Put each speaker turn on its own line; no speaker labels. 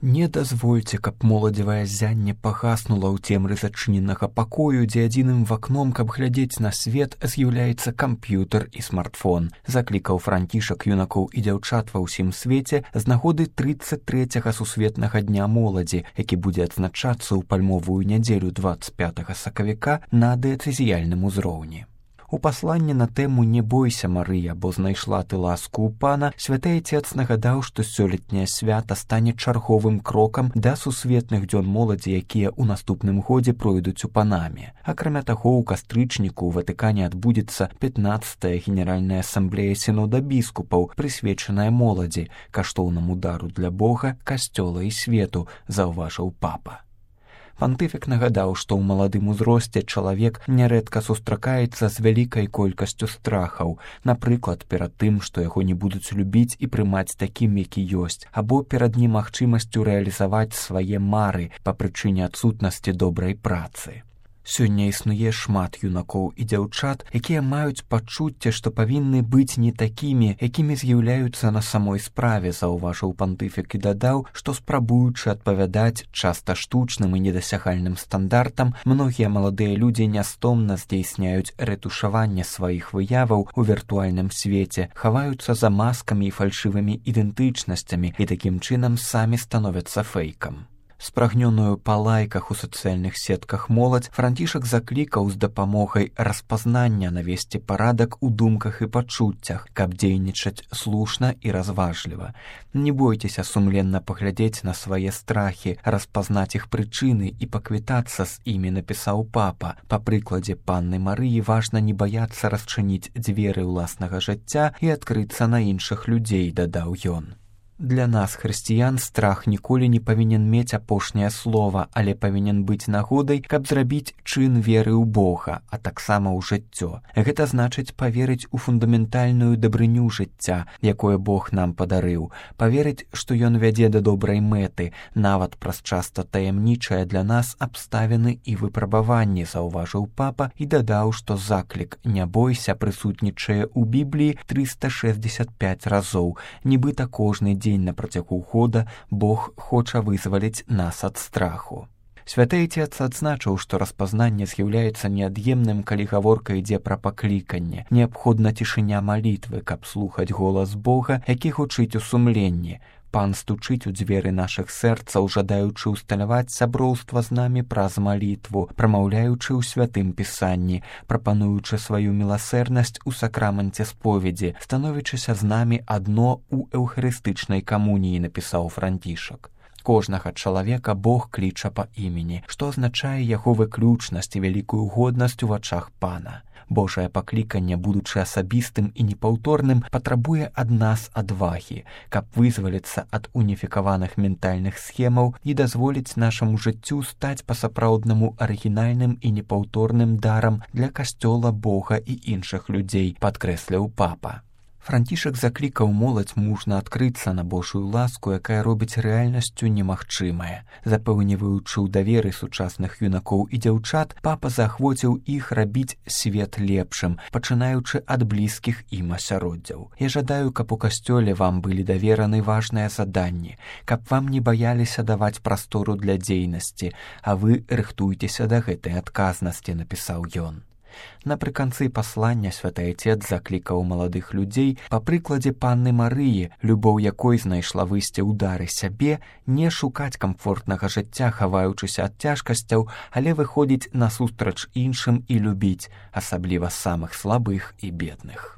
Не дазвольце, каб моладзевае зянне пагаснула ў цемры зачыненага пакою, дзе адзіным вакном, каб глядзець на свет, з'яўляецца камп'ютар і смартфон. Заклікаў Францішак юнакоў і дзяўчат ва ўсім свеце з нагоды 33-га сусветнага дня моладзі, які будзе адзначацца ў пальмовую нядзелю 25 сакавіка на дыяцэзіяльным узроўні. У пасланні на тэму «Не бойся, Марыя, бо знайшла ты ласку ў пана» святы Отец нагадаў, што сёлетняе свята стане чарговым крокам да сусветных дзён моладзі, якія ў наступным годзе пройдуць у Панаме. Акрамя таго, у кастрычніку ў Ватыкане адбудзецца 15-я генеральная асамблея сінода біскупаў, прысвечаная моладзі, каштоўнаму дару для Бога, касцёла і свету, заўважыў папа. Пантыфік нагадаў, што ў маладым узросце чалавек нярэдка сустракаецца з вялікай колькасцю страхаў, напрыклад, перад тым, што яго не будуць любіць і прымаць такім, які ёсць, або перад немагчымасцю рэалізаваць свае мары па прычыне адсутнасці добрай працы. Сёння існуе шмат юнакоў і дзяўчат, якія маюць пачуцце, што павінны быць не такімі, якімі з'яўляюцца на самой справе, заўважыў пантыфік і дадаў, што спрабуючы адпавядаць часта штучным і недасягальным стандартам, многія маладыя людзі нястомна здзейсняюць рэтушаванне сваіх выяваў у віртуальным свеце, хаваюцца за маскамі і фальшывымі ідэнтычнасцямі і такім чынам самі становяцца фэйкам. Спрагнёную па лайках у сацыяльных сетках моладзь Францішак заклікаў з дапамогай распазнання навесці парадак у думках і пачуццях, каб дзейнічаць слушна і разважліва. Не бойцеся сумленна паглядзець на свае страхі, распазнаць іх прычыны і паквітацца з імі, напісаў папа. Па прыкладзе панны Марыі важна не баяцца расчыніць дзверы ўласнага жыцця і адкрыцца на іншых людзей, дадаў ён. Для нас, хрысціян, страх ніколі не павінен мець апошняе слова, але павінен быць нагодай, каб зрабіць чын веры ў Бога, а таксама ў жыццё. Гэта значыць паверыць у фундаментальную дабрыню жыцця, якое Бог нам падарыў, паверыць, што Ён вядзе да добрай мэты, нават праз часта таямнічае для нас абставіны і выпрабаванні, заўважыў папа і дадаў, што заклік «Не бойся» прысутнічае ў Бібліі 365 разоў, нібыта кожны дзень на працягу года Бог хоча вызваліць нас ад страху. Святы Отец адзначыў, што распазнанне з'яўляецца неад'емным, калі гаворка ідзе пра пакліканне. Неабходна цішыня малітвы, каб слухаць голас Бога, які гучыць у сумленні. Пан стучыць у дзверы нашых сэрцаў, жадаючы ўсталяваць сяброўства з намі праз малітву, прамаўляючы ў святым пісанні, прапануючы сваю міласэрнасць у сакраманце споведзі, становячыся з намі адно ў эўхарыстычнай камуніі, напісаў Францішак. Кожнага чалавека Бог кліча па імені, што азначае яго выключнасць і вялікую годнасць у вачах Пана. Божае пакліканне, будучы асабістым і непаўторным, патрабуе ад нас адвагі, каб вызваліцца ад уніфікаваных ментальных схемаў і дазволіць нашаму жыццю стаць па-сапраўднаму арыгінальным і непаўторным дарам для касцёла, Бога і іншых людзей, падкрэсліў папа. Францішак заклікаў моладзь мужна адкрыцца на Божую ласку, якая робіць рэальнасцю немагчымае. Запэўніваючы ў даверы сучасных юнакоў і дзяўчат, папа заахвоціў іх рабіць свет лепшым, пачынаючы ад блізкіх ім асяроддзяў. Я жадаю, каб у касцёле вам былі давераны важныя заданні, каб вам не баяліся даваць прастору для дзейнасці, а вы рыхтуйцеся да гэтай адказнасці, напісаў ён. Напрыканцы паслання святы Отец заклікаў маладых людзей па прыкладзе панны Марыі, любоў якой знайшла выйсце ў дары сябе, не шукаць камфортнага жыцця, хаваючыся ад цяжкасцяў, але выходзіць насустрач іншым і любіць, асабліва самых слабых і бедных.